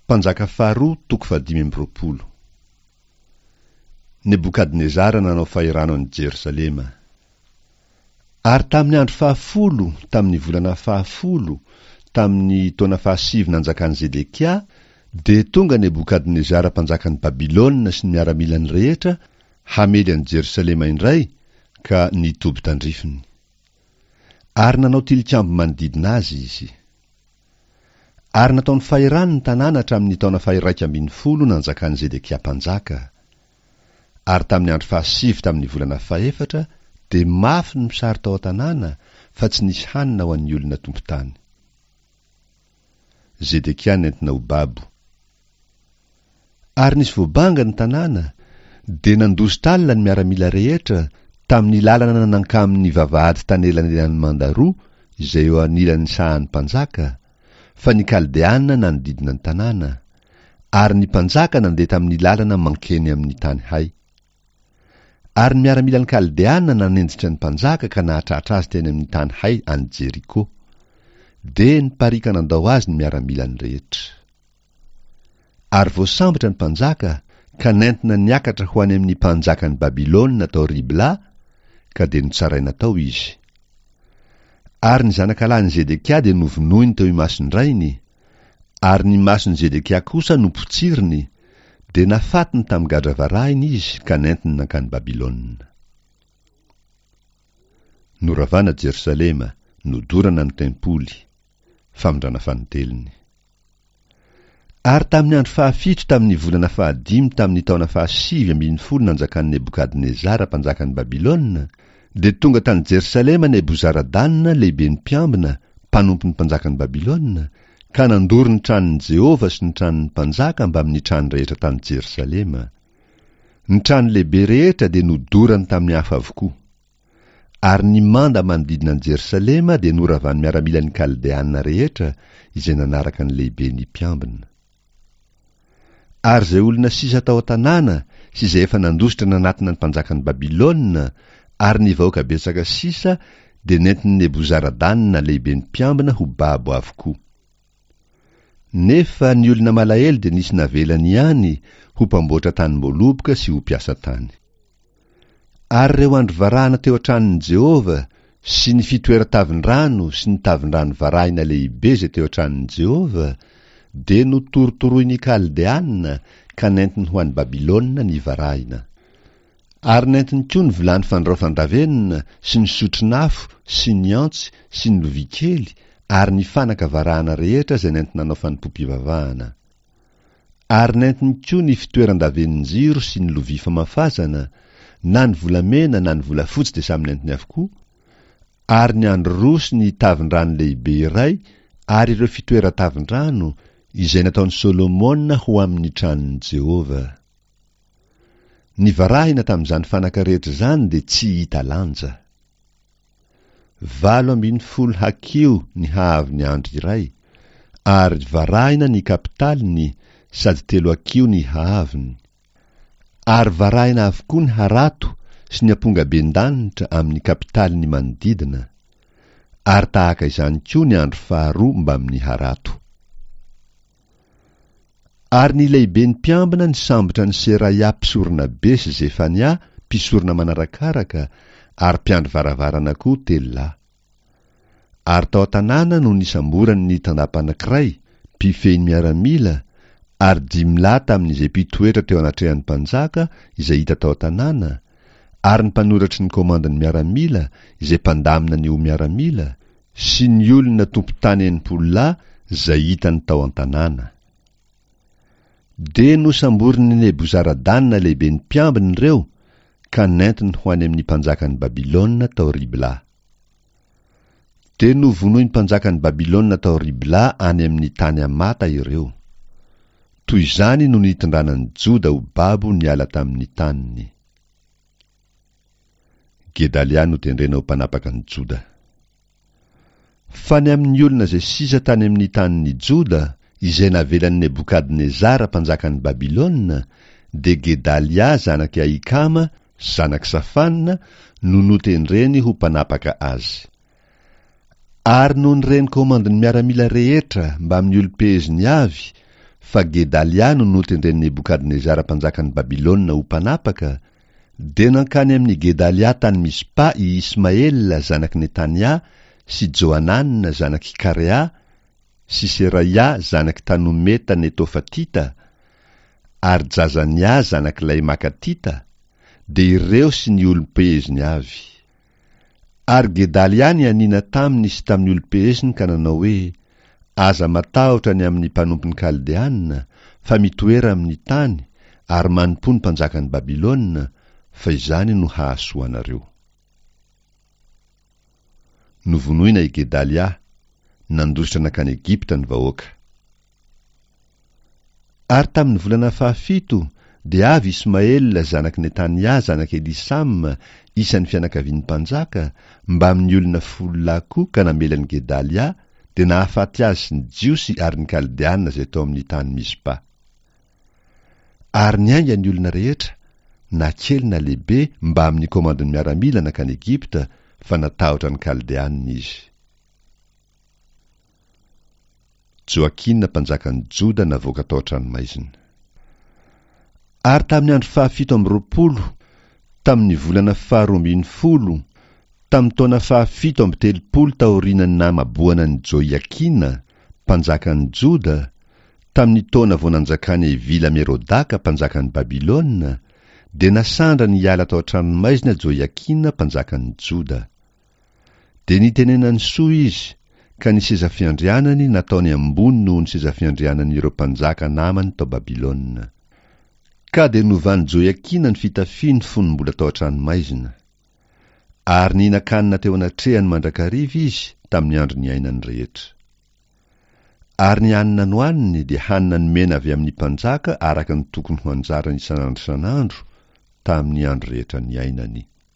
Mpanjaka faharoa toko fahadimy amby 25. Nebokadnezara nanao fahirano an'i Jerosalema. Ary tamin'ny andro fahafolo, tamin'ny volana fahafolo, tamin'ny taona fahasivy nanjakan'i Zedekia, dia tonga Nebokadnezara mpanjakan'i Babylona sy ny miaramilany rehetra hamely an'i Jerosalema indray ka nitoby tandrifiny. Ary nanao tilikambo manodidina azy izy. Ary nataony fahirano ny tanàna hatramin'ny taona faha-11 nanjakan'i Zedekia mpanjaka. Ary tamin'ny andro fahasivy tamin'ny volana fahefatra dia mafy ny mosary tao an-tanàna, fa tsy nisy hanina ho an'ny olona tompon-tany. Zedekia nentina ho babo. Ary nisy voabanga ny tanàna, dia nandositra alina ny miaramila rehetra, tamin'ny lalana nankamin'ny vavahady tanelanelan'ny manda roa izay eo anilan'ny sahan'ny mpanjaka, fa ny Kaldeana nanodidina ny tanàna, ary ny mpanjaka nandeha tamin'ny lalana mankeny amin'ny tany hay. Ary ny miaramilan'ny Kaldeana nanenjika ny mpanjaka ka nahatratra azy teny amin'ny tany hay any Jeriko. Dia nipariaka nandao azy ny miaramilany rehetra. Ary voasambotra ny mpanjaka ka nentina niakatra ho any amin'ny mpanjakan'i Babylona tao Ribla, ka dia notsaraina tao izy. Ary ny zanakalahin'i Zedekia dia novonoiny teo imason-drainy, ary ny mason'i Zedekia kosa nopotsiriny, dia nafatiny tamin'ny gadra varahina izy ka nentiny nankany Babylona. Noravana Jerosalema, nodorana ny tempoly. Famindrana fanintelony. Ary tamin'ny andro fahafito tamin'ny volana fahadimy tamin'ny taona fahasivy ambin'ny folo nanjakan'i Nebokadnezara mpanjakan'i Babylona, dia tonga tany Jerosalema Nebozaradana lehiben'ny mpiambina, mpanompon'ny mpanjakan'i Babylona, ka nandoro ny tranon'i Jehovah sy ny tranon'ny mpanjaka mbamin'ny trano rehetra tany Jerosalema. Ny trano lehibe rehetra dia nodorany tamin'ny afo avokoa. Ary ny manda manodidina an'i Jerosalema dia noravan'ny miaramilan'ny Kaldeana rehetra izay nanaraka ny lehiben'ny mpiambina. Ary izay olona sisa tao an-tanàna sy izay efa nandositra nanatona ny mpanjakan'i Babylona ary ny vahoaka betsaka sisa dia nentin'i Nebozaradana lehiben'ny mpiambina ho babo avokoa. Nefa ny olona malahelo dia nisy navelany ihany ho mpamboatra tanim-boaloboka sy ho mpiasa tany. Ary ireo andry varahina teo an-tranon'i Jehovah sy ny fitoeran-tavin-drano sy ny tavin-drano varahina lehibe izay teo an-tranon'i Jehovah dia notorotoroin'ny Kaldeana ka nentiny ho any Babylona ny varahina. Ary nentiny koa ny vilany fandraofan-davenona sy ny sotron'afo sy ny antsy sy ny lovia kely ary ny fanaka varahana rehetra izay nenti-nanao fanompoam-pivavahana. Ary nentiny koa ny fitoeran-davenon-jiro sy ny lovia famafazana, na ny volamena na ny volafotsy dia samy nentiny avokoa, ary ny andry roa sy ny tavin-drano lehibe iray ary ireo fitoeran-tavin-drano, izay nataon'i Solomona ho amin'ny tranon'i Jehovah. Ny varahina tamin'izany fanaka rehetra izany dia tsy hita lanja. 18 hakiho ny haavon'ny andry iray, ary varahina ny kapitaliny sady telo hakiho ny haavony. Ary varahina avokoa ny harato sy ny ampongaben-danitra amin'ny kapitaliny manodidina, ary tahaka izany koa ny andry faharoa mbamin'ny harato. Ary ny lehiben'ny mpiambina nisambotra an'i Seraia mpisoronabe sy Zefania mpisorona manarakaraka ary mpiandry varavarana koa telo lahy. Ary tao an-tanàna no nisamborany ny tandapa anankiray, mpifehy ny miaramila, ary dimy lahy tamin'izay mpitoetra teo anatrehan'ny mpanjaka izay hita tao an-tanàna, ary ny mpanoratry ny komandin'ny miaramila izay mpandamina ny ho miaramila, sy ny olona tompon-tany 60 lahy izay hitany tao an-tanàna. Dia nosamborin'i Nebozaradana lehiben'ny mpiambina ireo ka nentiny ho any amin'ny mpanjakan'i Babylona tao Ribla. Dia novonoin'ny mpanjakan'i Babylona tao Ribla any amin'ny tany Hamata ireo. Toy izany no nitondrana an'i Joda ho babo niala tamin'ny taniny. Gedalia notendrena ho mpanapaka an'i Joda. Fa ny amin'ny olona izay sisa tany amin'ny tanin'i Joda, izay navelan'i Nebokadnezara mpanjakan'i Babylona, dia Gedalia zanak'i Ahikama, zanak'i Safana, no notendreny ho mpanapaka azy. Ary nony ren'ny komandin'ny miaramila rehetra mbamin'ny olom-peheziny avy. fa Gedalia no notendren'i Nebokadnezara mpanjakan'i Babylona ho mpanapaka, dia nankany amin'i Gedalia tany Mizpa i Ismaela zanak'i Netania sy Johanana zanak'i Karea sy Seraia zanak'i Tanometa Netofatita ary Jazania zanak'ilay Makatita, dia ireo sy ny olom-peheziny avy. Ary Gedalia nianiana taminy sy tamin'ny olom-peheziny ka nanao hoe, Aza matahotra ny amin'ny mpanompon'ny Kaldeana, fa mitoera amin'ny tany, ary manompoa ny mpanjakan'i Babylona, fa izany no hahasoa anareo. Novonoina i Gedalia, nandositra nankany Egypta ny vahoaka. Ary tamin'ny volana fahafito, dia avy Ismaela zanak'i Netania zanak'i Elisama, isan'ny fianakavian'ny mpanjaka, mbamin'ny olona folo lahy koa ka namely an'i Gedalia, dia nahafaty azy sy ny Jiosy ary ny Kaldeana izay tao amin'ny tany Mizpa. Ary niainga ny olona rehetra, na kely na lehibe, mbamin'ny komandin'ny miaramila nankany Egypta, fa natahotra ny Kaldeana izy. Joakina mpanjakan'i Joda navoaka tao an-tranomaizina. Ary tamin'ny andro fahafito amby 20, tamin'ny volana faharoa ambin'ny folo, tamin'ny taona fahafito amby 30 taorian'ny namaboana an'i Joiakina, mpanjakan'i Joda, tamin'ny taona vao nanjakan'i Evila-Merodaka mpanjakan'i Babylona, dia nasandrany hiala tao an-tranomaizina Joiakina mpanjakan'i Joda. Dia nitenenany soa izy, ka ny seza fiandrianany nataony ambony noho ny seza fiandrianan'ireo mpanjaka namany tao Babylona. Ka dia novan'i Joiakina ny fitafiany fony mbola tao an-tranomaizina. Ary nihinan-kanina teo anatrehany mandrakariva izy tamin'ny andro niainany rehetra. Ary ny hanina nohaniny dia hanina nomena avy amin'ny mpanjaka araka ny tokony ho anjarany isan'andro isan'andro tamin'ny andro rehetra niainany.